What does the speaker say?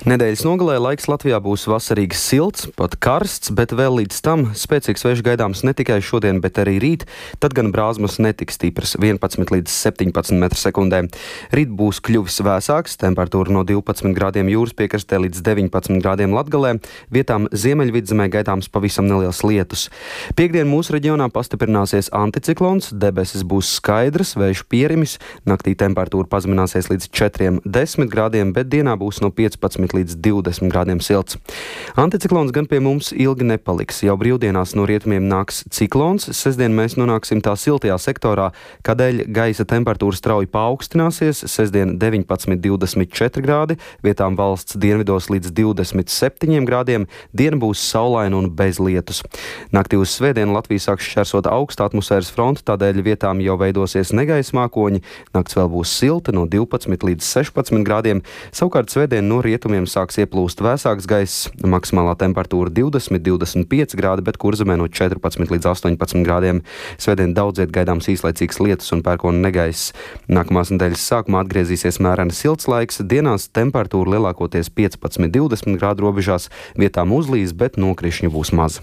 Nedēļas nogalē laiks Latvijā būs vasarīgi silts, pat karsts, bet vēl līdz tam spēcīgs vējš gaidāms ne tikai šodien, bet arī rīt. Tad gan brāzmas netiks stipras 11 līdz 17 m/sekundē. Rīt būs kļuvis vēsāks, temperatūra no 12 grādiem jūras piekrastē līdz 19 grādiem Latgalē. Vietām Ziemeļvidzemē gaidāms pavisam neliels lietus. Piektdien mūsu reģionā pastiprināsies anticiklons, debesis būs skaidras, vējš pierimis, naktī temperatūra pazemināsies līdz 4-10 grādiem, bet dienā būs no 15 līdz 20 grādiem silts. Anticiklons gan pie mums ilgi nepaliks. Jau brīvdienās no rietumiem nāks ciklons. Sestdien mēs nonāksim tā siltajā sektorā, kādēļ gaisa temperatūra strauji paaugstināsies. Sestdien 19-24 grādi, vietām valsts dienvidos līdz 27 grādiem. Diena būs saulaina un bez lietus. Naktī uz svētdienu Latviju sāks šķērsot augsta atmosfēras fronte, tādēļ vietām jau veidosies negaisa mākoņi. Nakts vēl būs silta no 12 līdz 16 grādiem. Savukārt svētdien no rietumiem sāks ieplūst vēsāks gaiss, maksimālā temperatūra 20-25 grādi, bet Kurzemē no 14 līdz 18 grādiem. Svētdien daudziet gaidāms īslaicīgs lietus un pērkona negaiss. Nākamās nedēļas sākumā atgriezīsies mēreni silts laiks, dienās temperatūra lielākoties 15-20 grādu robežās, vietām uzlīs, bet nokrišņu būs maz.